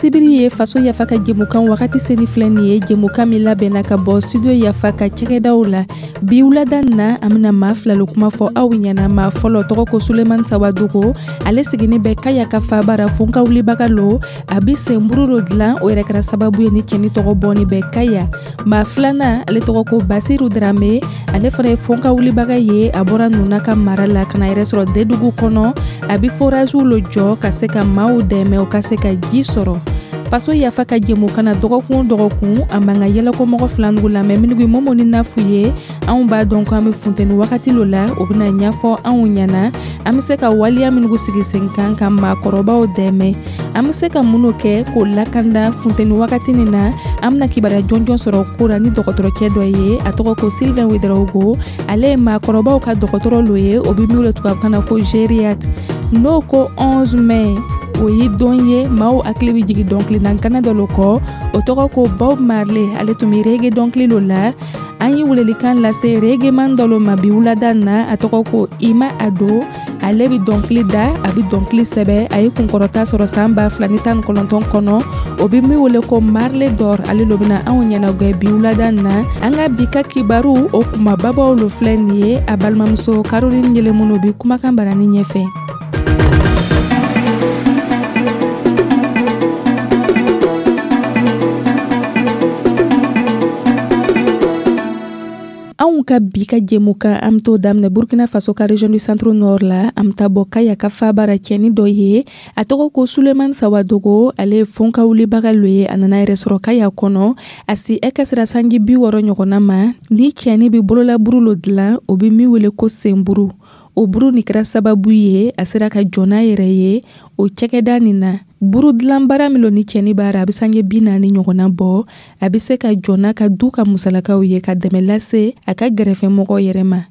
Sibiri ye Faso Yafa ka jɛmukan wagati seni filɛ nin ye, jɛmukan min labɛnna ka bɔ Studio Yafa ka cakɛdaw la. Bi wulada na, an bɛna maa fila lo kuma fɔ aw ɲɛna. Maa fɔlɔ tɔgɔ ko Sulemani Sawadogo, ale sigini bɛ Kaya ka faaba ra, fonka wulibaga lo. A bi senburu lo dilan, o yɛrɛ kɛra sababu ye ni cɛni tɔgɔ bɔni bɛ Kaya. Maa filanan, ale tɔgɔ ko Basiru Darame, ale fana ye fonka wulibaga ye. A bɔra Nuna ka mara la ka na yɛrɛ sɔrɔ Dedugu kɔnɔ. A bi foraziw lo jɔ ka se ka maaw dɛmɛ u ka se ka ji sɔrɔ. Faso Yafa ka jɛmukan na, dɔgɔkun o dɔgɔkun, an b'an ka yɛlɛkɔmɔgɔ filanugu lamɛn minnu Momo ni Nafu ye. Anw b'a dɔn ko an bɛ funteni wagati lo la, o bɛna ɲɛfɔ anw ɲɛna an bɛ se ka waleya minnu sigi sen kan ka maakɔrɔbaw dɛmɛ, an bɛ se ka minnu kɛ k'o lakanda funteni wagati nin na. An bɛna kibaruya jɔnjɔn sɔrɔ ko la ni dɔgɔtɔrɔcɛ dɔ ye, a tɔgɔ ko Sylvain Ouedraogo. Ale ye maakɔrɔbaw ka dɔgɔtɔrɔ lo ye, o bɛ min wele tubabukan na ko gériatre. N'o ko 11 mai, o ye don ye maaw hakili bɛ jigin dɔnkilina gana dɔ lo kɔ, o tɔgɔ ko Bob Marley. Ale tun bɛ reggae dɔnkili lo la. An ye welelikan lase reggaeman dɔ lo ma bi wulada na, a tɔgɔ ko Ima Ado. Ale bɛ dɔnkili da, a bɛ dɔnkili sɛbɛ. A ye kunkɔrɔta sɔrɔ san 2019 kɔnɔ, o bɛ min wele ko Marley d'Or. Ale lo bɛna anw ɲɛnagwɛ bi wulada na. An ka bi ka kibaru, o kumababaw lo filɛ nin ye. A balimamuso Caroline Yɛlɛmunu bi kumakan barani ɲɛfɛ. Anw ka bi ka jɛmukan, an bɛ t'o daminɛ Burkina Faso ka région du Centre Nord la. An bɛ taa bɔ Kaya ka faaba ra, cɛni dɔ ye, a tɔgɔ ko Sulemani Sawadogo. Ale ye fonka wulibaga lo ye. A nana yɛrɛ sɔrɔ Kaya kɔnɔ, a si ɛ sera sanji 60 ɲɔgɔnna ma. Ni cɛni bɛ bololaburu lo dilan, o bɛ min wele ko senburu. O buru nin kɛra sababu ye a sera ka jɔ n'a yɛrɛ ye o cakɛda nin na. Buru dilan baara min lo ni cɛni b'a ra, a bɛ sange 40 ɲɔgɔnna bɔ. A bɛ se ka jɔ n'a ka du ka musalakaw ye, ka dɛmɛ lase a ka gɛrɛfɛmɔgɔw yɛrɛ ma.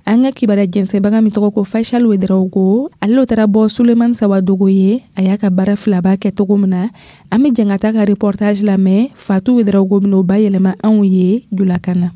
An ka kibaruya jɛnsɛnbaga min tɔgɔ ko Faisal Ouedraogo, ale lo taara bɔ Sulemani Sawadogo ye, a y'a ka baara filaba kɛ cogo min na. An bɛ jɛn ka taa ka reportage lamɛn. Fatou Ouedraogo bɛn'o bayɛlɛma anw ye julakan na.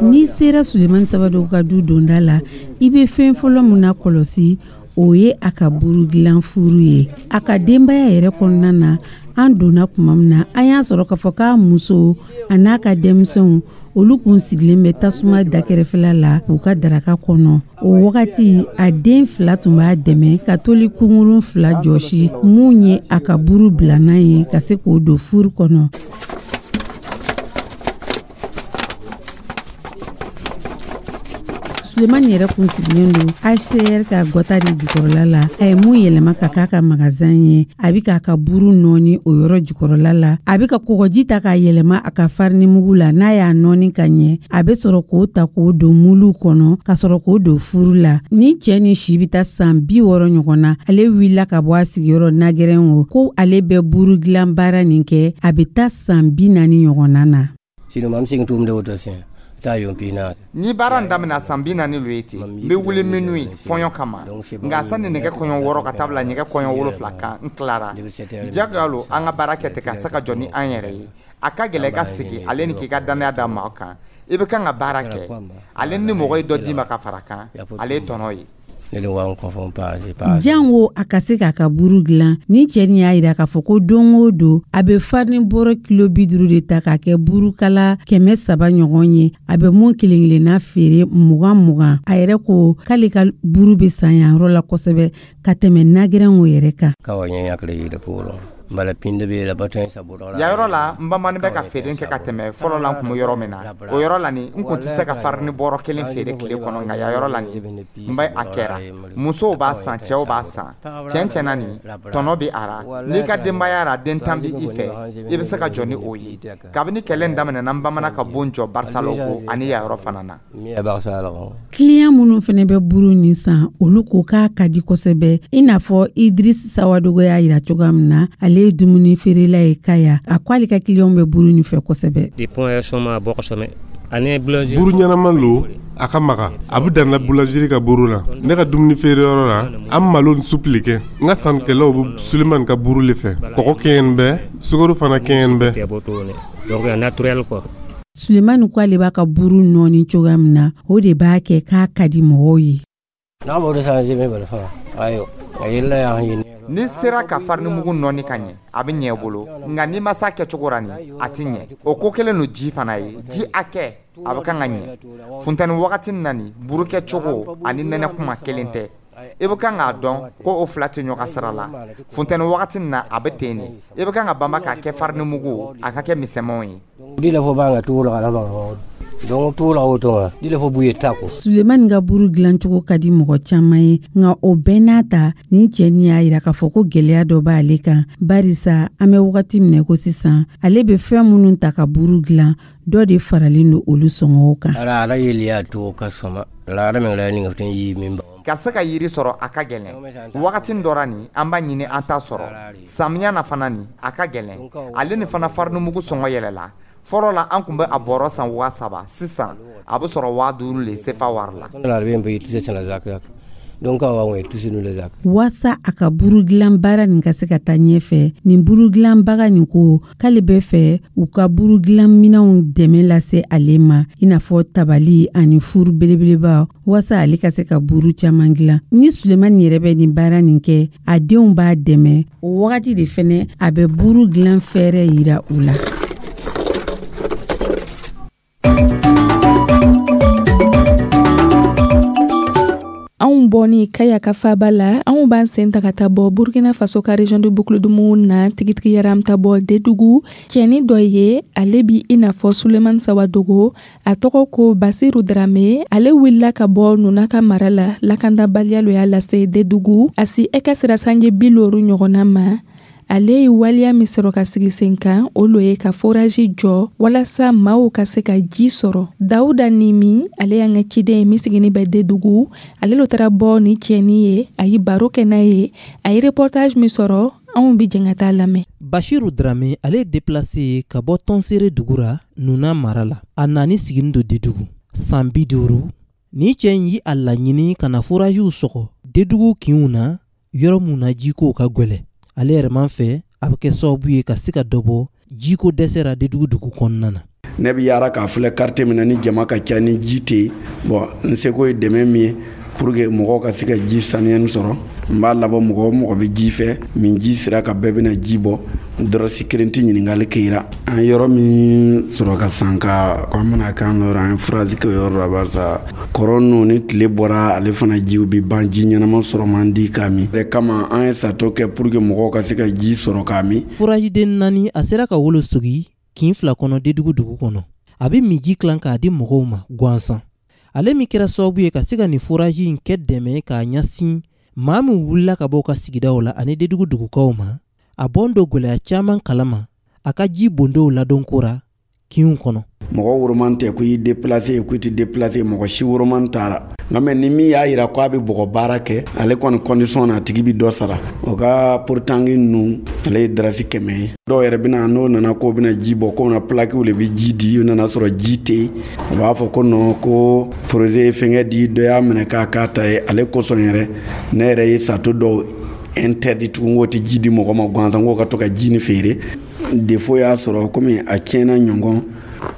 N'i sera Sulemani Sawadogo ka du donda la, i bɛ fɛn fɔlɔ min na kɔlɔsi, o ye a ka buru dilan furu ye. A ka denbaya yɛrɛ kɔnɔna na, an donna tuma min na, an y'a sɔrɔ k'a fɔ k'a muso a n'a ka denmisɛnw, olu kun sigilen bɛ tasuma dakɛrɛfɛla la k'u ka daraka kɔnɔ. O wagati, a den fila tun b'a dɛmɛ ka toli kunkurun fila jɔsi, mun ye a ka buru bilanan ye ka se k'o don furu kɔnɔ. Sulemani yɛrɛ kun sigilen don HCR ka gɔta de jukɔrɔla la. A ye mun yɛlɛma ka k'a ka magazin ye, a bɛ k'a ka buru nɔɔni o yɔrɔ jukɔrɔla la. A bɛ ka kɔgɔji ta k'a yɛlɛma a ka farinimugu la. N'a y'a nɔɔni ka ɲɛ, a bɛ sɔrɔ k'o ta k'o don muluw kɔnɔ ka sɔrɔ k'o don furu la. Ni cɛ ni si bɛ taa san 60 ɲɔgɔn na, ale wulila ka bɔ a sigiyɔrɔ Nagɛrɛngo ko ale bɛ buru dilan baara nin kɛ, a bɛ taa san 40 ɲɔgɔnna na. Ni baara in daminɛ san 40 lo ye ten, n bɛ wuli minuit fɔɲɔ kama, nka sani nɛgɛ kɔɲɔ 6 ka taa bila nɛgɛ kɔɲɔ 7 kan, n tilara. Jagoya lo an ka baara kɛ ten ka se ka jɔ ni an yɛrɛ ye. A ka gɛlɛ i ka sigi ale ni k'i ka dannaya da maa kan. I bɛ kan ka baara kɛ ale ni mɔgɔ ye dɔ d'i ma ka fara kan, ale ye tɔnɔ ye. Jango a ka se k'a ka buru dilan, ni cɛ nin y'a yira k'a fɔ ko don o don, a bɛ farini bɔrɔ kilo 50 de ta k'a kɛ burukala 300 ɲɔgɔn ye. A bɛ mun kelen kelenna feere 20 20. A yɛrɛ ko k'ale ka buru bɛ san yan yɔrɔ la kosɛbɛ ka tɛmɛ Nagɛrɛngo yɛrɛ kan. Yan yɔrɔ la, n bamanin bɛ ka feere kɛ ka tɛmɛ fɔlɔ la. N kun bɛ yɔrɔ min na, o yɔrɔ la nin, n kun tɛ se ka farini bɔrɔ kelen feere tile kɔnɔ, nka yan yɔrɔ la nin, n bɛ a kɛra. Musow b'a san, cɛw b'a san. Tiɲɛ tiɲɛ na nin, tɔnɔ bɛ a ra. N'i ka denbaya ra, den 10 bɛ i fɛ, i bɛ se ka jɔ ni o ye. Kabini kɛlɛ in daminɛna, n bamana ka bon jɔ Barsalogho ani yan yɔrɔ fana na. Kiliyan minnu fana bɛ buru nin san, olu ko k'a ka di kosɛbɛ. I n'a fɔ Idris Sawadogo y'a yira cogoya min na, ale ye dumuni feerela ye Kaya. A ko ale ka kiliyanw bɛ buru nin fɛ kosɛbɛ. Buru ɲɛnama lo, a ka maga, a bɛ danna boulangerie ka buru la. Ne ka dumuni feereyɔrɔ la, an malo ni supu le kɛ. N ka sannikɛlaw bɛ Sulemani ka buru le fɛ. Kɔgɔ kɛɲɛni bɛ, sukaro fana kɛɲɛni bɛ. Sulemani ko ale b'a ka buru nɔɔni cogoya min na, o de b'a kɛ k'a ka di mɔgɔw ye. N'i sera ka farinimugu nɔɔni ka ɲɛ, a bɛ ɲɛ i bolo, nka n'i ma s'a kɛcogo ra nin, a tɛ ɲɛ. O ko kelen don ji fana ye, ji hakɛ, a bɛ kan ka ɲɛ. Funteni wagati na nin, buru kɛcogo ani nɛnɛ kuma kelen tɛ. I bɛ kan k'a dɔn ko o fila tɛ ɲɔgɔn sira la. Funteni wagati na, a bɛ ten de. I bɛ kan ka banba k'a kɛ farinimugu, a ka kɛ misɛnmanw ye. Sulemani ka buru dilancogo ka di mɔgɔ caman ye, nka o bɛɛ n'a ta, nin cɛnin y'a yira k'a fɔ ko gɛlɛya dɔ b'ale kan, barisa an bɛ wagati min na ko sisan, ale bɛ fɛn minnu ta ka buru dilan, dɔ de faralen don olu sɔngɔw kan. Ka se ka yiri sɔrɔ, a ka gɛlɛn. Wagati dɔ ra nin, an b'a ɲini, an t'a sɔrɔ. Samiya na fana nin, a ka gɛlɛn. Ale ni fana farinimugu sɔngɔ yɛlɛla. Fɔlɔ la, an tun bɛ a bɔrɔ san 3000, sisan a bɛ sɔrɔ 5000 le sefa wari la. Waasa a ka buru dilan baara nin ka se ka taa ɲɛfɛ, nin buru dilanbaga nin ko k'ale bɛ fɛ u ka buru dilan minɛnw dɛmɛ lase ale ma, i n'a fɔ tabali ani furu belebeleba, waasa ale ka se ka buru caman dilan. Ni Sulemani yɛrɛ bɛ nin baara nin kɛ, a denw b'a dɛmɛ. O wagati de fɛnɛ a bɛ buru dilan fɛɛrɛ yira u la. Anw bɔni Kaya ka faba la, anw b'an sen ta ka taa bɔ Burkina Faso ka région de Boucle-du-Mouhoun na, tigitigi yɛrɛ an bɛ taa bɔ Dedugu. Cɛnin dɔ ye, ale bi i n'a fɔ Sulemani Sawadogo, a tɔgɔ ko Basiru Darame. Ale wulila ka bɔ Nuna ka mara la, lakandabaliya lo y'a lase Dedugu. A si ɛ ka sera sanji 50 ɲɔgɔnna ma. Ale ye waleya min sɔrɔ ka sigi sen kan, o lo ye ka forage jɔ walasa maaw ka se ka ji sɔrɔ. Dawuda Nimi, ale y'an ka ciden ye min sigini bɛ Dedugu, ale lo taara bɔ ni cɛnin ye, a ye baro kɛ n'a ye, a ye reportage min sɔrɔ, anw bi jɛn ka taa lamɛn. Bashiru Drame, ale ye déplacé ye ka bɔ Tɔnsere dugu ra Nuna mara la. A nani sigini don Dedugu san 50. Ni cɛ in yi a laɲini ka na foragew sɔgɔ Dedugu kinw na, yɔrɔ mun na jikow ka gwɛlɛ. Ale yɛrɛ man fɛ a bɛ kɛ sababu ye ka se ka dɔ bɔ jiko dɛsɛ ra Dedugu dugu kɔnɔna na. Ne bɛ yaara k'a filɛ quartier min na ni jama ka ca ni ji tɛ yen, bon n seko ye dɛmɛ min ye pour que mɔgɔw ka se ka ji saniyani sɔrɔ, n b'a labɔ mɔgɔ o mɔgɔ bɛ ji fɛ, min ji sera ka bɛɛ bɛna ji bɔ, dɔrɔsi kelen tɛ ɲininkali kɛra. An yɔrɔ min sɔrɔ ka san ka an bɛna k'an yɔrɔ, an ye forage kɛ yɔrɔ la, barisa kɔrɔ ninnu ni tile bɔra ale fana jiw bɛ ban, ji ɲɛnama sɔrɔ man di k'a min. O kama an ye sato kɛ pour que mɔgɔw ka se ka ji sɔrɔ k'a min. Forage den 4 a sera ka wolo sogi kin 2 kɔnɔ Dedugu dugu kɔnɔ. A bɛ minji tilan k'a di mɔgɔw ma gansan. Ale min kɛra sababu ye ka se ka nin forage in kɛ dɛmɛ k'a ɲɛsin maa min wulila ka bɔ u ka sigidaw la ani Dedugu dugukaw ma, a bɔn don gwɛlɛya caman kalama a ka ji bondow ladonko ra kinw kɔnɔ. Mɔgɔ woroman tɛ ko i déplacé ko i tɛ déplacé, mɔgɔ si woroman taara. Nka mais ni min y'a yira ko a bɛ bɔgɔ baara kɛ, ale kɔni condition na a tigi bɛ dɔ sara. O ka porotangi ninnu ale ye darasi 100 ye. Dɔw yɛrɛ bɛna n'o nana k'o bɛna ji bɔ, k'o bɛna plaquew de bɛ ji di, o nana sɔrɔ ji tɛ yen. U b'a fɔ ko non, ko projet ye fɛnkɛ di, dɔ y'a minɛ k'a k'a ta ye. Ale kosɔn yɛrɛ ne yɛrɛ ye sato dɔw interdit tugun, k'o tɛ ji di mɔgɔ ma gansan, k'o ka to ka ji ni feere. Défaut y'a sɔrɔ komi a tiɲɛna ɲɔgɔn,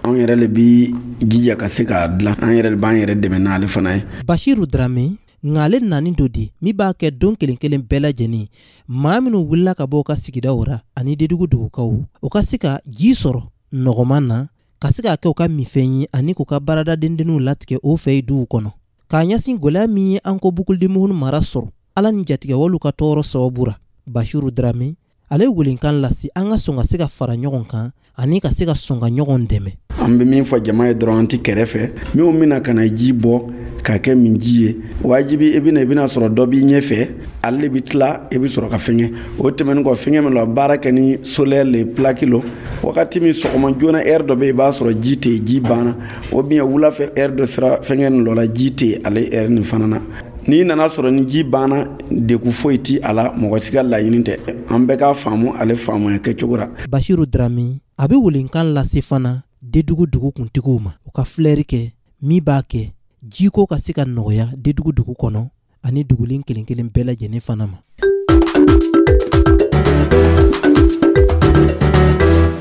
anw yɛrɛ le bi jija ka se k'a dilan, an yɛrɛ b'an yɛrɛ dɛmɛ n'ale fana ye. Bashiru Drame, nka ale nani do di min b'a kɛ don kelen kelen bɛɛ lajɛlen maa minnu wulila ka bɔ u ka sigidaw ra ani Dedugu dugukaw, u ka se ka ji sɔrɔ nɔgɔman na, ka se k'a kɛ u ka minfɛn ye ani k'u ka baarada dendenninw latigɛ o fɛ yen duw kɔnɔ. K'a ɲɛsin gwɛlɛya min ye an ko Boucle-du-Mouhoun mara sɔrɔ ala ni jatigɛwalew ka tɔɔrɔ sababu ra, Bashiru Drame ale ye welenkan lase an ka sɔn ka se ka fara ɲɔgɔn kan ani ka se ka sɔn ka ɲɔgɔn dɛmɛ. An bɛ min fɔ jama ye dɔrɔn, an tɛ kɛrɛfɛ. Minnu bɛna ka na ji bɔ k'a kɛ min ji ye, wajibi i bɛna sɔrɔ dɔ b'i ɲɛfɛ, ale bɛ tila i bɛ sɔrɔ ka fɛngɛ. O tɛmɛnen kɔ, fɛngɛ min la baara kɛ ni solaire le plaque lo, wagati min sɔgɔma joona heure dɔ bɛ yen i b'a sɔrɔ ji tɛ yen, ji banna. O bien wula fɛ heure dɔ sera fɛngɛ nin dɔ la, ji tɛ yen ale heure nin fana na. N'i nana sɔrɔ ni ji banna, degun foyi ti a la, mɔgɔ si ka laɲini tɛ. An bɛɛ k'a faamu ale faamuya kɛcogo la. Bashiru Drame a bɛ welenkan lase fana Dedugu dugu kuntigiw ma, u ka filɛri kɛ min b'a kɛ jiko ka se ka nɔgɔya Dedugu dugu kɔnɔ ani dugulen kelen kelen bɛɛ lajɛlen fana ma.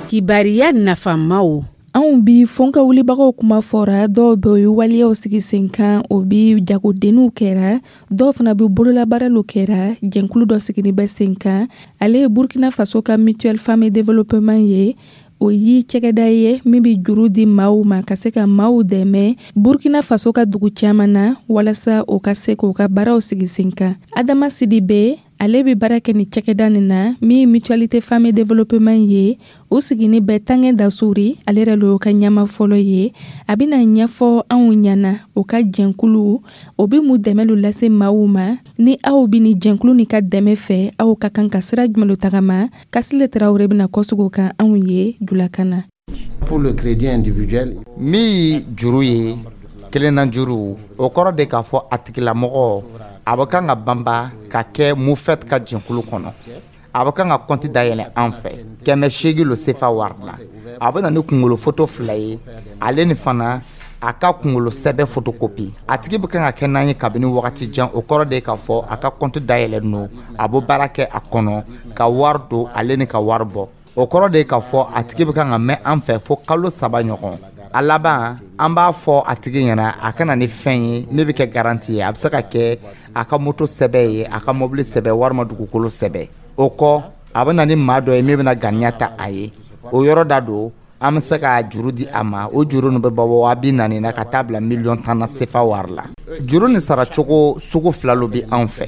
Kibariya nafamaw. Anw bi fɔnka wulibagaw kuma fɔra, dɔw bɛ o ye waleyaw sigi sen kan, o bi jagodenninw kɛra, dɔw fana bɛ bololabaaraliw kɛra. Jɛnkulu dɔ sigini bɛ sen kan, ale ye Burkina Faso ka Mutuelle Femmes Développement ye. O ye cɛgɛda ye min bɛ juru di maaw ma ka se ka maaw dɛmɛ Burkina Faso ka dugu caman na, walasa o ka se k'o ka baaraw sigi sen kan. Adama Sidibe, ale bɛ baara kɛ ni cɛkɛda nin na min ye Mutualité Femmes Développement ye. O sigini bɛ Tangɛ Dasuri, ale yɛrɛ lo ka ɲɛma fɔlɔ ye. A bɛna ɲɛfɔ anw ɲɛna o ka jɛnkulu o bɛ mun dɛmɛ lo lase maaw ma. Ni aw bɛ ni jɛnkulu ni ka dɛmɛ fɛ, aw ka kan ka sira jumɛn lo tagama? Kasile Tarawele bɛna kɔsegin o kan anw ye julakan na. Pour le crédit individuel, min ye juru ye, kelenna juru, o kɔrɔ de k'a fɔ a tigilamɔgɔ a bɛ kan ka banba ka kɛ MUFET ka jɛnkulu kɔnɔ. A bɛ kan ka kɔnti dayɛlɛ an fɛ 800 lo sefa wari la. A bɛ na ni kunkolo foto 2 ye, ale ni fana a ka kunkolo sɛbɛ photocopie. A tigi bɛ kan ka kɛ n'an ye kabini wagati jan, o kɔrɔ de k'a fɔ a ka kɔnti dayɛlɛ no, a bɛ baara kɛ a kɔnɔ ka wari don ale ni ka wari bɔ. O kɔrɔ de k'a fɔ a tigi bɛ kan ka mɛn an fɛ fo kalo 3 ɲɔgɔn. A laban, an b'a fɔ a tigi ɲɛna a ka na ni fɛn ye min bɛ kɛ garantie ye. A bɛ se ka kɛ a ka moto sɛbɛ ye, a ka mobili sɛbɛ, walima dugukolo sɛbɛ. O kɔ, a bɛ na ni maa dɔ ye min bɛna ganiya ta a ye. O yɔrɔ da don, an bɛ se ka juru di a ma. O juru nin bɛ bɔ 40 000 na ka taa bila 10 000 000 na sefa wari la. Juru nin saracogo sugu 2 lo bɛ anw fɛ.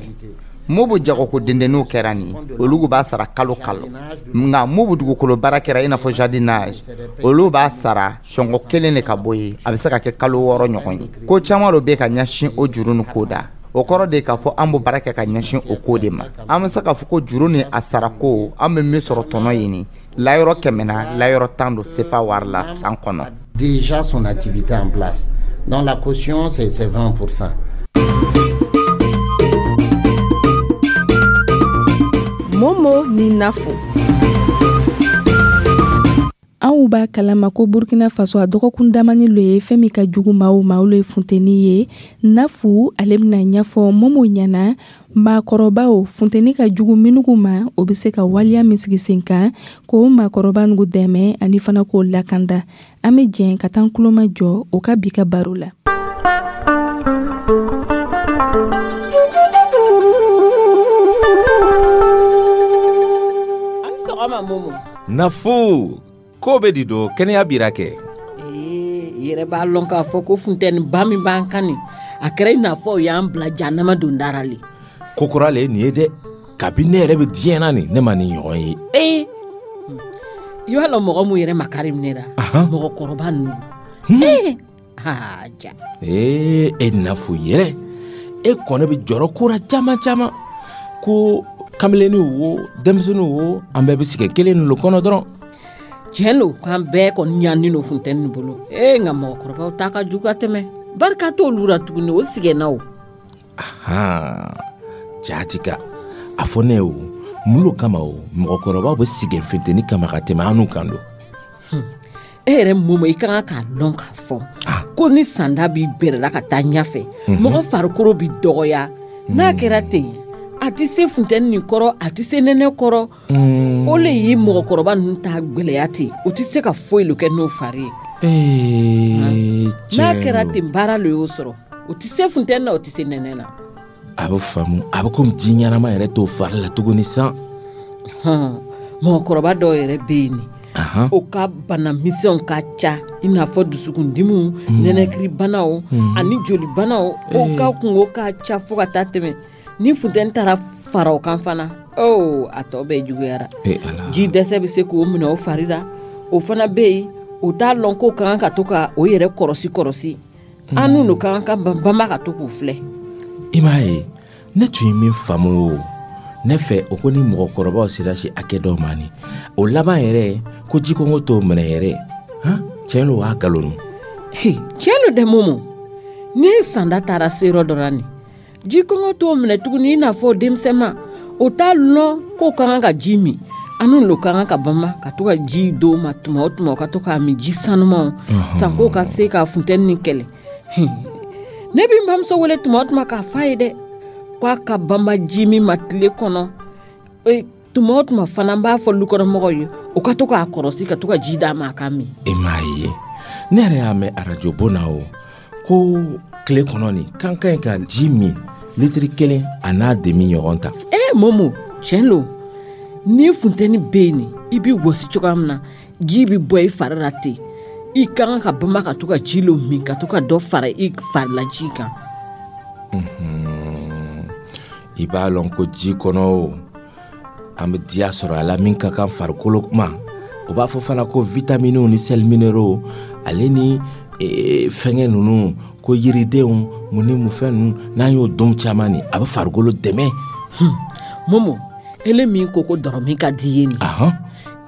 Mun bɛ jagoko dendenninw kɛra nin, olu b'a sara kalo kalo. Nka mun bɛ dugukolo baara kɛra i n'a fɔ jardinage, olu b'a sara sɔngɔ kelen de ka bɔ yen, a bɛ se ka kɛ kalo 6 ɲɔgɔn ye. Ko caman dɔ bɛ ka ɲɛsin o juru nin ko da. O kɔrɔ de k'a fɔ an bɛ baara kɛ ka ɲɛsin o ko de ma. An bɛ se k'a fɔ ko juru ni a sarako, an bɛ min sɔrɔ tɔnɔ ɲini layɔrɔ 100 na, layɔrɔ 10 don sefa wari la san kɔnɔ. Déjà son activité en place. Donc la caution c'est 20%. Momo ni Nafo. Anw b'a kalama ko Burkina Faso a dɔgɔkun damani lo ye fɛn min ka jugu maaw ma, olu ye funteni ye. Nafu, ale bɛna ɲɛfɔ Momo ɲɛna maakɔrɔbaw funteni ka jugu minnu ma, o bɛ se ka waleya min sigi sen kan k'o maakɔrɔba nugu dɛmɛ ani fana k'o lakanda. An bɛ jɛn ka taa kuloma jɔ o ka bi ka baro la. Nafu, ko bɛ di do kɛnɛya bira kɛ. Ee, yɛrɛ b'a lɔn k'a fɔ ko funteni ba min b'an kan nin, a kɛra i n'a fɔ o y'an bila jahanama dondara le. Ko kura le ye nin ye dɛ, kabi ne yɛrɛ bɛ diɲɛ na nin, ne ma nin ɲɔgɔn ye. Ee, i b'a lɔn mɔgɔ mun yɛrɛ makari minɛ la, mɔgɔkɔrɔba ninnu. Ee, aa ja. Ee, e Nafu yɛrɛ, e kɔni bɛ jɔrɔ ko la caman caman, ko kamelenniw wo, denmisɛnninw wo, an bɛɛ bɛ sigi kelen nin kɔnɔ dɔrɔn. Tiɲɛ don k'an bɛɛ kɔni ɲannen don funteni nin bolo. Ee, nka mɔgɔkɔrɔbaw ta ka jugu ka tɛmɛ, barika t'olu la tuguni, o sigɛnna o. Ahan, jaati ka a fɔ ne ye o, mun lo kama o mɔgɔkɔrɔbaw bɛ sigɛn funteni kama ka tɛmɛ anw kan don? E yɛrɛ Momo, i ka kan k'a dɔn k'a fɔ ko ni sanda b'i gbɛrɛla ka taa ɲɛfɛ, mɔgɔ farikolo bɛ dɔgɔya. N'a kɛra ten, a tɛ se funteni nin kɔrɔ, a tɛ se nɛnɛ kɔrɔ. O le ye mɔgɔkɔrɔba ninnu ta gwɛlɛya ten, o tɛ se ka foyi lo kɛ n'o fari ye. N'a kɛra ten, baara lo y'o sɔrɔ, o tɛ se funteni na, o tɛ se nɛnɛ na. A bɛ faamu, a bɛ komi ji ɲɛnama yɛrɛ t'o fari la tuguni san. Mɔgɔkɔrɔba dɔw yɛrɛ bɛ yen nin, o ka bana misɛnw ka ca, i n'a fɔ dusukundimiw, nɛnɛkiribanaw ani jolibanaw. O ka kungo ka ca fo ka taa tɛmɛ. Ni funteni taara fara o kan fana, oh, a tɔ bɛɛ juguyara. Ji dɛsɛ bɛ se k'o minɛ o fari la. O fana bɛ yen, o t'a lɔn k'o ka kan ka to ka o yɛrɛ kɔrɔsi kɔrɔsi. An n'u ka kan ka banba ka to k'u filɛ. I m'a ye, ne tun ye min faamu o, ne fɛ o ko ni mɔgɔkɔrɔbaw sera si hakɛ dɔw ma nin, o laban yɛrɛ ko jikɔngɔ t'o minɛ yɛrɛ. Han, tiɲɛ don wa nkalon don? Tiɲɛ don dɛ Momo. Ni sanda taara se yɔrɔ dɔ la nin, jikɔngɔ t'o minɛ tuguni i n'a fɔ denmisɛnma. O t'a lɔn k'o ka kan ka ji min. An n'u ka kan ka banba ka to ka ji d'o ma tuma o tuma, o ka to k'a min ji sanumanw, sanko ka se ka funteni nin kɛlɛ. Ne bɛ n bamuso wele tuma o tuma k'a f'a ye dɛ, k'a ka banba ji min ma tile kɔnɔ. Tuma o tuma fana n b'a fɔ lukɔnɔmɔgɔw ye u ka to k'a kɔrɔsi ka to ka ji d'a ma a ka min. E m'a ye, ne yɛrɛ y'a mɛn arajo bon na o ko tile kɔnɔ nin k'an ka ɲi ka ji min litiri 1 a n'a demi ɲɔgɔn ta. Ee Momo, tiɲɛ lo, ni funteni bɛ yen nin, i bɛ wɔsi cogoya min na, ji bɛ bɔ i fari la ten. I ka kan ka banba ka to ka ji lo min, ka to ka dɔ fara i farila ji kan. I b'a lɔn ko ji kɔnɔ o, an bɛ diya sɔrɔ a la min ka kan farikolo ma. O b'a fɔ fana ko vitaminiw ni sels minéraux ale ni fɛngɛ ninnu, ko yiridenw mun ni mun fɛn ninnu, n'an y'o dun caman nin, a bɛ farikolo dɛmɛ. Momo, ele min ko ko dɔrɔmin ka di ye nin,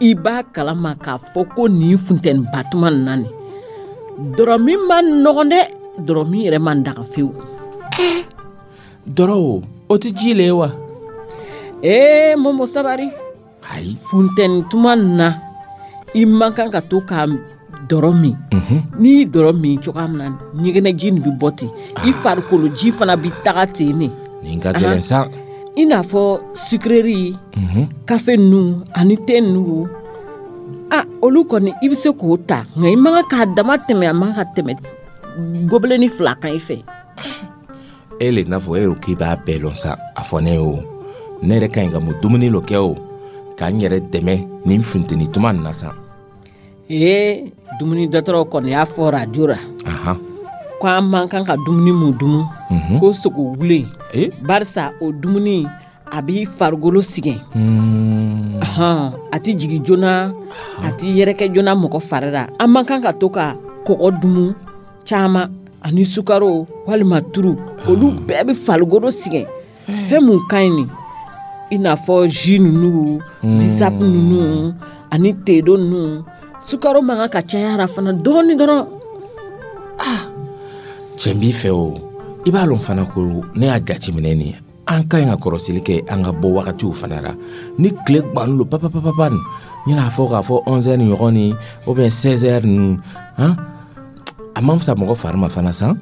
i b'a kalama k'a fɔ ko nin funteniba tuma nin na nin, dɔrɔmin man nɔgɔn dɛ, dɔrɔmin yɛrɛ man daga fewu. Dɔrɔ o, o tɛ ji le ye wa? Ee Momo, sabari. Ayi. Funteni tuma nin na, i man kan ka to ka dɔrɔ min. N'i ye dɔrɔ min cogoya min na, ɲɛgɛnɛji nin bɛ bɔ ten, i farikolo ji fana bɛ taga ten ne. Nin ka gɛlɛn sa. I n'a fɔ sucrerie, kafe ninnu ani te ninnu, a olu kɔni i bɛ se k'o ta, nka i man kan k'a dama tɛmɛ, a man kan ka tɛmɛ gobelet 2 kan i fɛ. E le n'a fɔ e ko k'i b'a bɛɛ lɔn sa, a fɔ ne ye o. Ne yɛrɛ ka ɲi ka mun dumuni lo kɛ o, k'an yɛrɛ dɛmɛ nin funteni tuma nin na sa. Ee, dumuni dɔgɔtɔrɔw kɔni y'a fɔ radio la ko an man kan ka dumuni mun dumu, ko sogo wulen, barisa o dumuni a b'i farikolo sɛgɛn. A tɛ jigin joona, a tɛ yɛrɛkɛ joona mɔgɔ fari la. An man kan ka to ka kɔgɔ dumu caman ani sukaro walima turu, olu bɛɛ bɛ farikolo sɛgɛn. Fɛn mun ka ɲi nin, i n'a fɔ jus ninnu, bissap ninnu ani tedo ninnu, sukaro man kan ka caya la fana dɔɔni dɔrɔn. Cɛ b'i fɛ o, i b'a lɔn fana ko ne y'a jateminɛ nin, an ka ɲi ka kɔrɔsili kɛ an ka bɔ wagatiw fana la. Ni tile gbannen don papapapa nin, n y'a fɔ k'a fɔ 11 heures ɲɔgɔn ni ou bien 16 heures ninnu, han, a man fisa mɔgɔ fari ma fana san.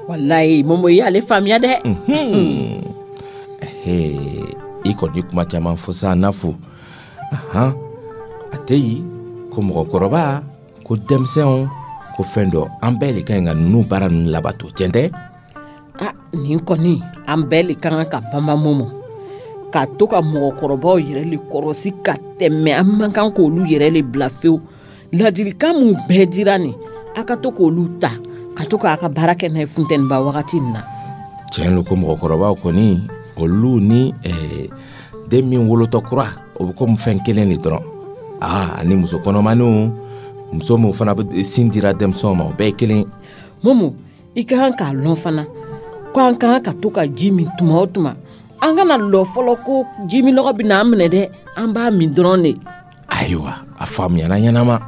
Walayi Momo, i y'ale faamuya dɛ. I kɔni kuma caman fɔ sa n'a fo. A tɛ yen ko mɔgɔkɔrɔba, ko denmisɛnw, ko fɛn dɔ, an bɛɛ de ka ɲi ka ninnu baara ninnu labato, tiɲɛ tɛ? Nin kɔni an bɛɛ de ka kan ka banba Momo, ka to ka mɔgɔkɔrɔbaw yɛrɛ le kɔrɔsi ka tɛmɛ, an man kan k'olu yɛrɛ le bila fewu. Ladilikan mun bɛɛ dira nin, a ka to k'olu ta ka to k'a ka baara kɛ n'a ye funteniba wagati nin na. Tiɲɛ don ko mɔgɔkɔrɔbaw kɔni, olu ni den min wolotɔ kura, o bɛ komi fɛn kelen de dɔrɔn. Ani muso kɔnɔmaniw, muso min fana bɛ sin dira denmisɛnw ma, o bɛɛ ye kelen. Momo, i ka kan k'a lɔn fana ko an ka kan ka to ka ji min tuma o tuma. An kana lɔ fɔlɔ ko ji min nɔgɔ bɛ n'an minɛ dɛ, an b'a min dɔrɔn de. Ayiwa, a faamuyana ɲɛnama.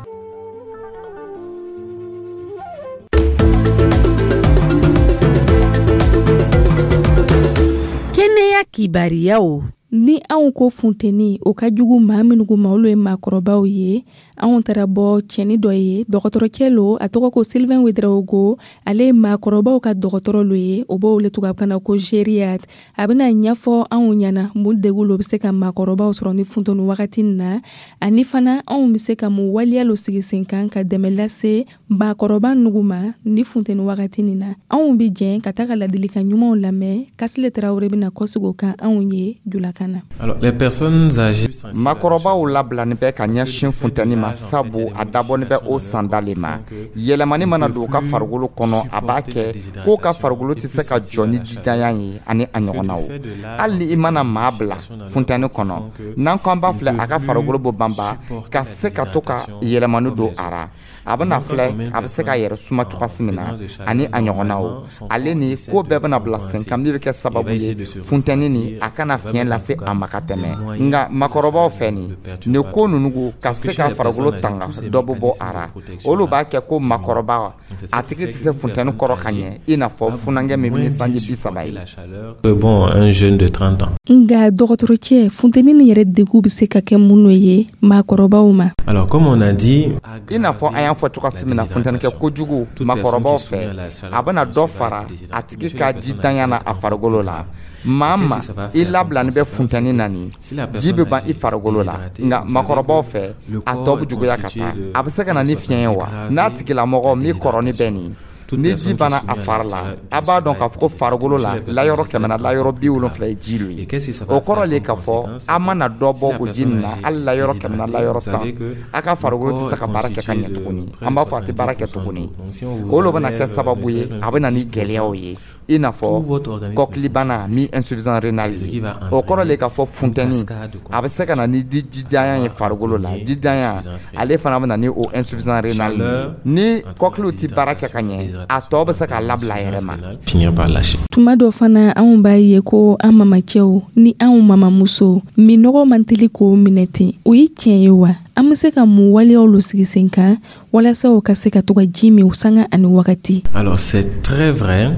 Kɛnɛya kibariyaw. Ni anw ko funteni, o ka jugu maa minnu ma, olu ye maakɔrɔbaw ye. Anw taara bɔ cɛni dɔ ye, dɔgɔtɔrɔcɛ lo, a tɔgɔ ko Sylvain Ouedraogo. Ale ye maakɔrɔbaw ka dɔgɔtɔrɔ lo ye, o b'o wele tubabukan na ko gériatre. A bɛna ɲɛfɔ anw ɲɛna mun degun lo bɛ se ka maakɔrɔbaw sɔrɔ ni funteni wagati nin na, ani fana anw bɛ se ka mun waleya lo sigi sen kan ka dɛmɛ lase maakɔrɔba nugu ma ni funteni wagati nin na. Anw bɛ jɛn ka taga ladilikan ɲumanw lamɛn. Kasile Tarawele bɛna kɔsegin o kan anw ye julakan na. Alors, les personnes âgées Maakɔrɔbaw labilani bɛ ka ɲɛsin funteni ma, sabu a dabɔni bɛ o sanda le ma. Yɛlɛmani mana don u ka farikolo kɔnɔ, a b'a kɛ k'o ka farikolo tɛ se ka jɔ ni jidanya ye ani a ɲɔgɔnnaw. Hali ni i mana maa bila funteni kɔnɔ, n'an ko an b'a filɛ, a ka farikolo bɔ banba ka se ka to ka yɛlɛmani don a ra. A bɛna filɛ, a bɛ se k'a yɛrɛ suma cogoya min na ani a ɲɔgɔnnaw. Ale ni ko bɛɛ bɛna bila sen kan min bɛ kɛ sababu ye funteni ni a kana fiɲɛ lase a ma ka tɛmɛ. Nka maakɔrɔbaw fɛ nin ko ninnu ka se ka farikolo tanga dɔ bɛ bɔ a ra. Olu b'a kɛ ko maakɔrɔba a tigi tɛ se funteni kɔrɔ ka ɲɛ, i n'a fɔ funankɛ min bɛ ni sanji 30 ye. Bon, un jeune de 30 ans. Nka dɔgɔtɔrɔcɛ, funteni nin yɛrɛ degun bɛ se ka kɛ mun ye maakɔrɔbaw ma? Alors, comme on a dit, i n'a fɔ an y'a fɔ cogoya min na, funteni kɛ kojugu maakɔrɔbaw fɛ, a bɛna dɔ fara a tigi ka jidanya na a farikolo la. Maa ma i labilani bɛ funteni na nin, ji bɛ ban i farikolo la. Nka makɔrɔbaw fɛ, a tɔ bɛ juguya ka taa. A bɛ se ka na ni fiɲɛ ye wa? N'a tigilamɔgɔ min kɔrɔni bɛ nin, ni ji banna a fari la, a b'a dɔn k'a fɔ ko farikolo la, layɔrɔ 100 na, layɔrɔ 70 ye ji lo ye. O kɔrɔ le k'a fɔ a mana dɔ bɔ o ji nin na, hali layɔrɔ 100 na, layɔrɔ 10, a ka farikolo tɛ se ka baara kɛ ka ɲɛ tuguni. An b'a fɔ a tɛ baara kɛ tuguni. O lo bɛna kɛ sababu ye, a bɛ na ni gɛlɛyaw ye, i n'a fɔ kɔkilibana min insuffisance rénale ye. O kɔrɔ le k'a fɔ funteni a bɛ se ka na ni jidanya ye farikolo la. Jidanya ale fana bɛ na ni o insuffisance rénale ye. Ni kɔkiliw tɛ baara kɛ ka ɲɛ, a tɔ bɛ se k'a labila a yɛrɛ ma. Tuma dɔ fana, anw b'a ye ko an mamacɛw ni anw mamamusow minnɔgɔ man teli k'o minɛ ten. O ye tiɲɛ ye wa? An bɛ se ka mun waleyaw lo sigi sen kan walasa u ka se ka to ka ji min sanga ani wagati? Alors, c'est très vrai.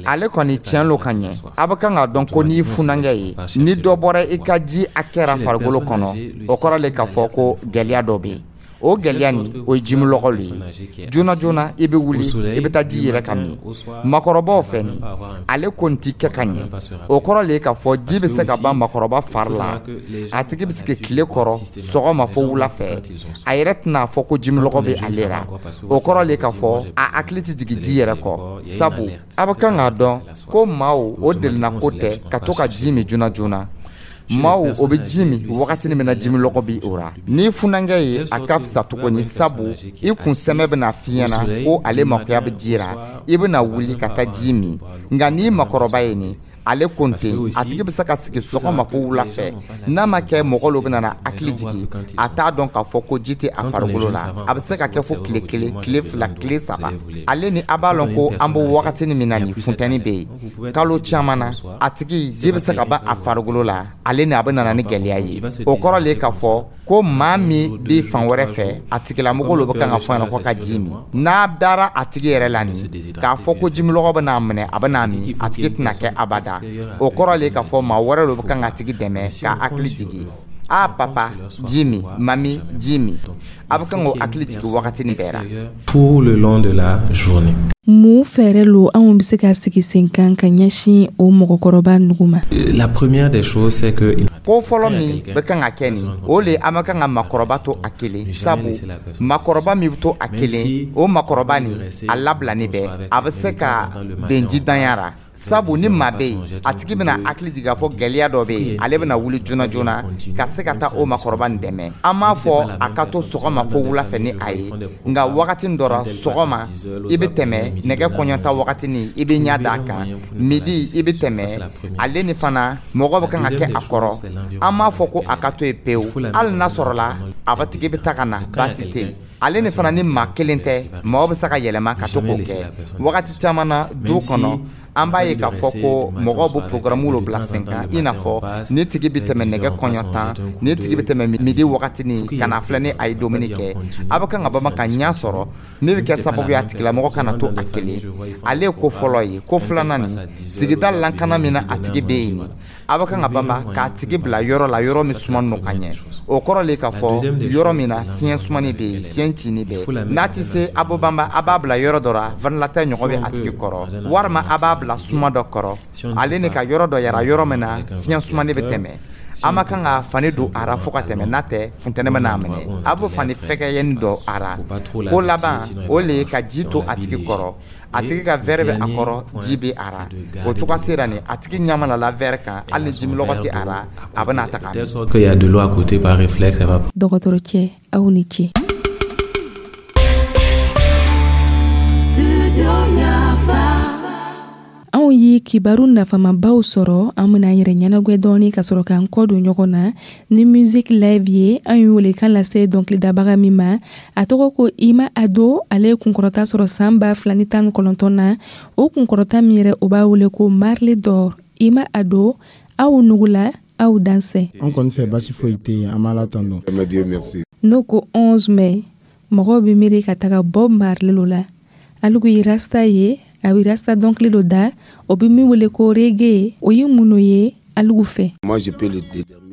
Ale kɔni tiɲɛ lo ka ɲɛ. A bɛ kan k'a dɔn ko n'i funankɛ ye, ni dɔ bɔra i ka ji hakɛ ra farikolo kɔnɔ, o kɔrɔ le k'a fɔ ko gɛlɛya dɔ bɛ yen. O gɛlɛya nin, o ye jimilɔgɔ le ye. Joona joona i bɛ wuli, i bɛ taa ji yɛrɛ ka min. Makɔrɔbaw fɛ nin, ale kɔni ti kɛ ka ɲɛ. O kɔrɔ le ye k'a fɔ ji bɛ se ka ban makɔrɔba fari la. A tigi bɛ sigi tile kɔrɔ sɔgɔma fo wula fɛ, a yɛrɛ tɛna fɔ ko jimilɔgɔ bɛ ale la. O kɔrɔ le ye k'a fɔ a hakili tɛ jigin ji yɛrɛ kɔ, sabu a bɛ kan k'a dɔn ko maaw o delina ko tɛ ka to ka ji min joona joona. Maaw o bɛ ji min wagati min na jimilɔgɔ bɛ o ra. Ni funankɛ ye, a ka fisa tuguni, sabu i kun sɛmɛ bɛna f'i ɲɛna ko ale makoya bɛ ji ra, i bɛna wuli ka taa ji min. Nka n'i makɔrɔba ye nin, ale ko ten, a tigi bɛ se ka sigi sɔgɔma fo wula fɛ, n'a ma kɛ mɔgɔ lo bɛna na hakili jigin, a t'a dɔn k'a fɔ ko ji tɛ a farikolo la. A bɛ se ka kɛ fo tile 1, tile 2, tile 3. Ale ni a b'a lɔn ko an bɛ wagati min na nin, funteni bɛ yen kalo caman na, a tigi ji bɛ se ka ban a farikolo la. Ale ni a bɛ nana ni gɛlɛya ye. O kɔrɔ le k'a fɔ ko maa min bɛ fan wɛrɛ fɛ, a tigilamɔgɔ lo bɛ kan ka fɔ ɲɛna ko ka ji min. N'a dara a tigi yɛrɛ la nin, k'a fɔ ko jimilɔgɔ bɛ n'a minɛ, a bɛ n'a min, a tigi tɛna kɛ abada. O kɔrɔ le k'a fɔ maa wɛrɛ lo bɛ kan ka tigi dɛmɛ k'a hakili jigin: a papa, ji min, mami, ji min. A bɛ kan k'o hakili jigin wagati nin bɛɛ la. Tout le long de la journée. Mun fɛɛrɛ lo anw bɛ se ka sigi sen kan ka ɲɛsin o mɔgɔkɔrɔba nugu ma? La première des choses, c'est que ko fɔlɔ min bɛ kan ka kɛ nin, o le an bɛ kan ka makɔrɔba to a kelen, sabu makɔrɔba min bɛ to a kelen, o makɔrɔba nin a labilani bɛ, a bɛ se ka bɛn jidanya ra, sabu ni maa bɛ yen, a tigi bɛna hakili jigin k'a fɔ gɛlɛya dɔ bɛ yen, ale bɛna wuli joona joona ka se ka taa o makɔrɔba nin dɛmɛ. An m'a fɔ a ka to sɔgɔma fo wula fɛ ni a ye, nka wagati dɔ la sɔgɔma i bɛ tɛmɛ nɛgɛ kɔɲɔta wagati ni i bɛ ɲɛ d'a kan, midi i bɛ tɛmɛ. Ale ni fana mɔgɔ bɛ kan ka kɛ a kɔrɔ. An m'a fɔ ko a ka to yen pewu. Hali n'a sɔrɔla a bɛ tigi bɛ taa ka na, baasi tɛ yen. Ale ni fana ni maa kelen tɛ, mɔgɔ bɛ se ka yɛlɛma ka to k'o kɛ wagati caman na du kɔnɔ. An b'a ye k'a fɔ ko mɔgɔw bɛ programme lo bila sen kan, i n'a fɔ ni tigi bɛ tɛmɛ nɛgɛ kɔɲɔ tan, ni tigi bɛ tɛmɛ midi wagati ni ka na filɛ ni a ye dumuni kɛ, a bɛ kan ka bama ka ɲɛ sɔrɔ min bɛ kɛ sababu ye a tigilamɔgɔ kana to a kelen. Ale ye ko fɔlɔ ye. Ko filanan nin, sigida lankana min na a tigi bɛ yen nin, a bɛ kan ka bama k'a tigi bila yɔrɔ la, yɔrɔ min suman nɔ ka ɲɛ. O kɔrɔ le k'a fɔ yɔrɔ min na fiɲɛ sumani bɛ yen, fiɲɛ cini bɛ yen. N'a tɛ se, a bɛ banba a b'a bila yɔrɔ dɔ la, ventilateur ɲɔgɔn bɛ a tigi kɔrɔ, walima a b'a bila suma dɔ kɔrɔ. Ale ni ka yɔrɔ dɔ yara, yɔrɔ min na fiɲɛ sumani bɛ tɛmɛ. An ma kan ka fani don a ra fo ka tɛmɛ, n'a tɛ funtɛni bɛ n'a minɛ. A bɛ fani fɛgɛyɛni dɔ a ra. Ko laban, o le ye ka ji to a tigi kɔrɔ. A tigi ka verre bɛ a kɔrɔ, ji bɛ a ra. O cogoya sera nin, a tigi ɲɛ mana la verre kan, hali ni jimilɔgɔ tɛ a ra, a bɛ n'a ta ka min. Dɔgɔtɔrɔ cɛ, aw ni ce. Anw ye kibaru nafamabaw sɔrɔ. An bɛna an yɛrɛ ɲɛnagwɛ dɔɔni ka sɔrɔ k'an kɔ don ɲɔgɔn na ni music live ye. An ye welekan lase dɔnkilidabaga min ma, a tɔgɔ ko Ima Ado. Ale ye kunkɔrɔta sɔrɔ san 2019 na. O kunkɔrɔta min yɛrɛ, o b'a wele ko Marley d'Or. Ima Ado, aw nugula, aw dansɛ. An kɔni fɛ basi foyi tɛ yen, an b'a la tando. N'o ko 11 mai, mɔgɔw bɛ miiri ka taga Bob Marley lo la. Alugu ye rasta ye, a bɛ rasta dɔnkili dɔ da, o bɛ min wele ko reggae. O ye mun ye alugu fɛ?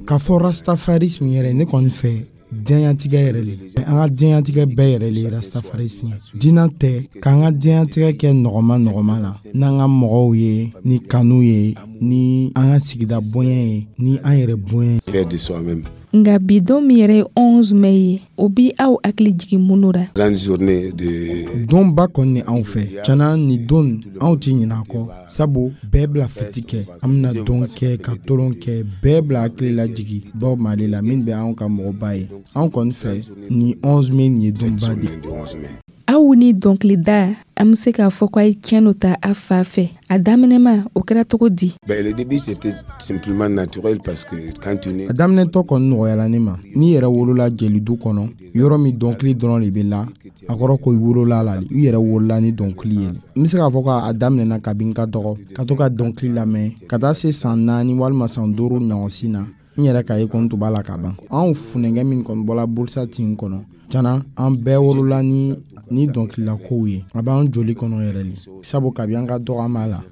K'a fɔ rastafarisme yɛrɛ, ne kɔni fɛ Diɲɛtigɛ yɛrɛ le, an ka diɲɛtigɛ bɛɛ yɛrɛ le ye rastafarisme ye. Diinɛ tɛ k'an ka diɲɛtigɛ kɛ nɔgɔma nɔgɔma la n'an ka mɔgɔw ye, ni kanu ye, ni an ka sigida bonya ye, ni an yɛrɛ bonya ye. De soi-même. Nka bi don min yɛrɛ ye 11 mai ye, o bi aw hakili jigin mun ra? Grande journée de Donba kɔni ni anw fɛ cana, ni don anw tɛ ɲinɛ a kɔ, sabu bɛɛ bila fɛti kɛ, an bɛna dɔn kɛ ka tolon kɛ, bɛɛ bila hakili lajigi Bob Marley la, min bɛ anw ka mɔgɔba ye. Anw kɔni fɛ, ni 11 mai nin ye donba de ye. Aw ni dɔnkilida, an bɛ se k'a fɔ ko a ye tiɲɛ dɔ ta a fa fɛ. A daminɛma, o kɛra cogo di? Ben, le début, c'était simplement naturel parce que quand tu nais A daminɛtɔ kɔni nɔgɔyara ne ma. N'i yɛrɛ wolola jelidu kɔnɔ, yɔrɔ min dɔnkili dɔrɔn de bɛ la, a kɔrɔ ko i wolola la, i yɛrɛ wolola ni dɔnkili ye. N bɛ se k'a fɔ k'a daminɛna kabi n ka dɔgɔ, ka to ka dɔnkili lamɛn ka taa se san 4 walima san 5 ɲɔgɔnsi na. N yɛrɛ ka ye ko n tun b'a la ka ban. Anw funɛnkɛ min kɔni bɔla burusa tin kɔnɔ cana, an bɛɛ wolola ni dɔnkililakow ye. A b'an joli kɔnɔ yɛrɛ le, sabu kabi an ka dɔgɔ, an b'a la.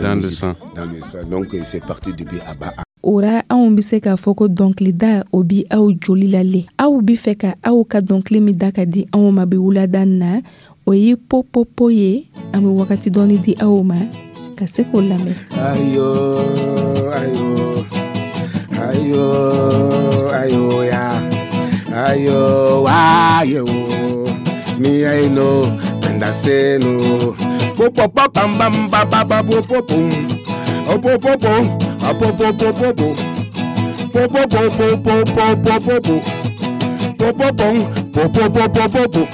Dans le sang. Dans le sang. Donc c'est parti depuis à bas. O ra, anw bɛ se k'a fɔ ko dɔnkilida, o bi aw joli la le. Aw bi fɛ ka aw ka dɔnkili min da ka di anw ma bi wulada na, o ye Popopo ye. An bɛ wagati dɔɔni di aw ma ka se k'o lamɛn. Ayo, ayo, ayo, ayo, ya. Ayo, ayo, me I know, and I say no. Po po po bam bam ba ba ba po po pum. Oh po po po, ah po po po po po. Po po po po po po po po po. Po po pum, po po po po po po.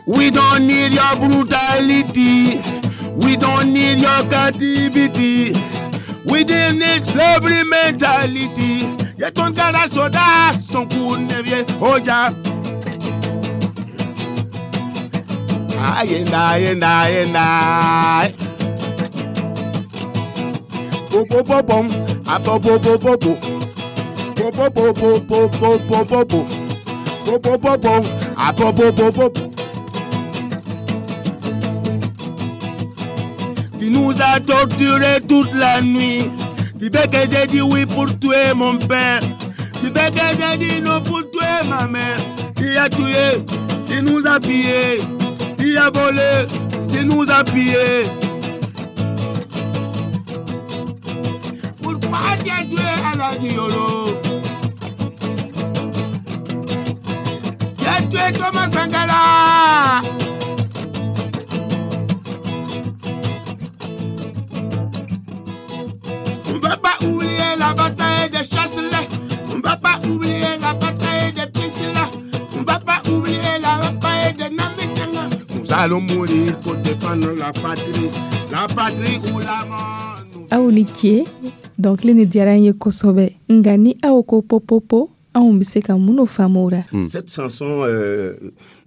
We don't need your brutality. We don't need your captivity. We don't need slavery mentality. Y'a ton gara soda, son coup ne vient. Oh ja. Aïe, aïe, aïe, aïe. Po po po pom, a po po po po po. Po po po po po po po po po. Po po po po, a po po po po po. Tu nous as torturés toute la nuit. Tu veux que j'ai dit oui pour tuer mon père. Tu veux que j'ai dit non pour tuer ma mère. Tu as tué, tu nous as pillés. Tu as volé, tu nous as pillés. Pourquoi tu as tué Alhaji Yoro? Tu as tué Thomas Sankara. On va pas oublier la bataille de Chasselet. On va pas oublier la bataille de Priscilla. On va pas oublier la bataille de Namitanga. Nous allons mourir pour défendre la patrie. La patrie ou la mort. Aw ni ce, dɔnkili ni diyara n ye kosɛbɛ. Nka ni aw ko popopo, anw bɛ se ka mun faamu o la? Cette chanson,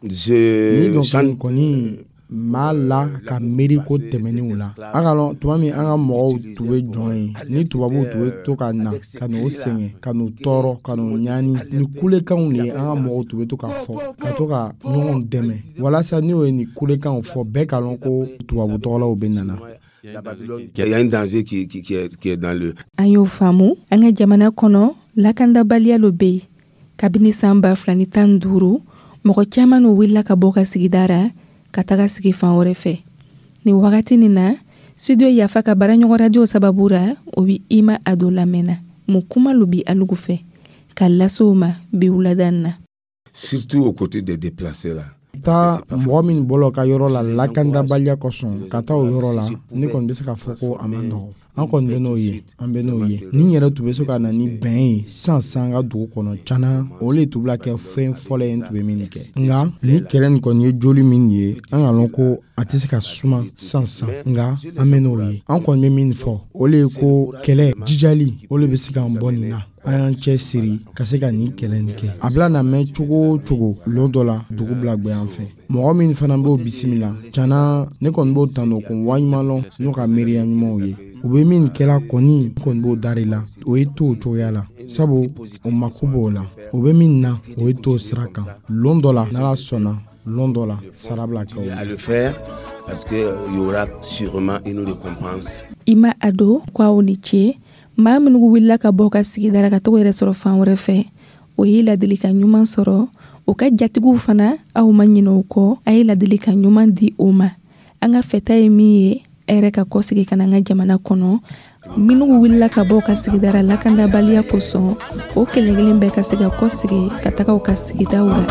je Ni dɔnkili chante kɔni maa la ka miiri ko tɛmɛnenw la. An ka lɔn tuma min an ka mɔgɔw tun bɛ jɔn ye, ni tubabuw tun bɛ to ka na ka n'u sɛgɛn, ka n'u tɔɔrɔ, ka n'u ɲani, ni kulekanw de ye an ka mɔgɔw tun bɛ to ka fɔ, ka to ka ɲɔgɔn dɛmɛ, walasa n'o ye nin kulekanw fɔ, bɛɛ ka lɔn ko tubabu tɔgɔlaw bɛ nana. Il y a un danger qui est dans le An y'o faamu. An ka jamana kɔnɔ, lakandabaliya lo bɛ yen kabini san 2015. Mɔgɔ caman n'o wulila ka bɔ ka sigida ra ka taga sigi fan wɛrɛ fɛ. Nin wagati nin na, Studio Yafa ka baaraɲɔgɔn radio sababu ra, o bi Ima Ado lamɛnna. Mun kuma lo bi alugu fɛ ka lase o ma bi wulada in na? Surtout aux côtés des déplacés là. Taa mɔgɔ min bɔla ka yɔrɔ la lakandabaliya kosɔn ka taa o yɔrɔ la, ne kɔni bɛ se k'a fɔ ko a man nɔgɔ. An kɔni bɛ n'o ye, an bɛ n'o ye. Ni yɛrɛ tun bɛ se ka na ni bɛn ye sisan sisan an ka dugu kɔnɔ, cana o le tun bɛna kɛ fɛn fɔlɔ ye n tun bɛ min kɛ. Nka ni kɛlɛ nin kɔni ye joli min ye, an ka lɔn ko a tɛ se ka suma sisan sisan, nka an bɛ n'o ye. An kɔni bɛ min fɔ, o le ye ko kɛlɛ jijali, o le bɛ se k'an bɔ nin na. An y'an cɛ siri ka se ka nin kɛlɛ nin kɛ. A bila na mɛn cogo o cogo, lon dɔ la dugu bila gwɛ an fɛ. Mɔgɔ min fana b'o bisimila cana, ne kɔni b'o tando ko waɲuman lɔn n'o ka miiriya ɲumanw ye. U bɛ min kɛla kɔni, kɔni b'o dari la, o ye to o cogoya la, sabu o mako b'o la. O bɛ min na, o ye to sira kan. Lon dɔ la, n'Ala sɔnna, lon dɔ la sara bila kɛ o la. À le faire parce que y aura sûrement une récompense. Ima Ado ko aw ni ce. Maa minnu wulila ka bɔ ka sigida la ka taga yɛrɛ sɔrɔ fan wɛrɛ fɛ, O ye ladilikan ɲuman sɔrɔ. O ka jatigiw fana, aw ma ɲinɛ o kɔ, a ye ladilikan ɲuman di o ma. An ka fɛta ye min ye, e yɛrɛ ka kɔsegi ka na an ka jamana kɔnɔ. Minnu wulila ka bɔ u ka sigidara lakandabaliya kosɔn, o kelen kelen bɛɛ ka se ka kɔsegi ka taga u ka sigidaw la.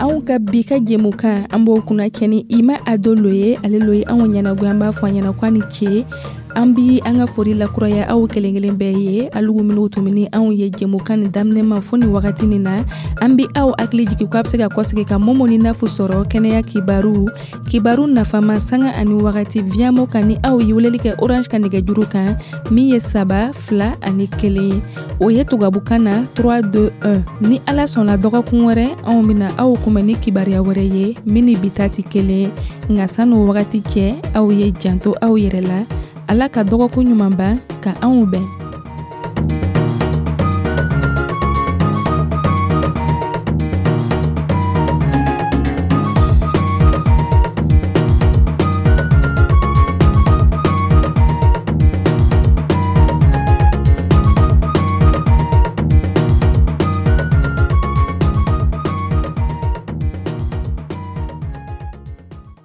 Anw ka bi ka jɛmukan, an b'o kunnacɛ ni Ima Ado lo ye. Ale lo ye anw ɲɛnagoya. An b'a fɔ a ɲɛna ko a ni ce. An bi an ka foli lakuraya aw kelen kelen bɛɛ ye, alugu minnu tun bɛ ni anw ye jɛmukan nin daminɛ ma fo nin wagati nin na. An bi aw hakili jigin ko a bɛ se ka kɔsegi ka Momo ni Nafu sɔrɔ kɛnɛya kibaru, kibaru nafama, sanga ani wagati Viamo kan, ni aw ye weleli kɛ Orange ka nɛgɛjuru kan min ye 3 2 ani 1, o ye tubabukan na 3 2 1. Ni Ala sɔnna, dɔgɔkun wɛrɛ anw bɛna aw kunbɛn ni kibaruya wɛrɛ ye min ni bi ta tɛ kelen. Nka san'o wagati cɛ, aw ye janto aw yɛrɛ la. Ala ka dɔgɔkun ɲuman ban ka anw bɛn.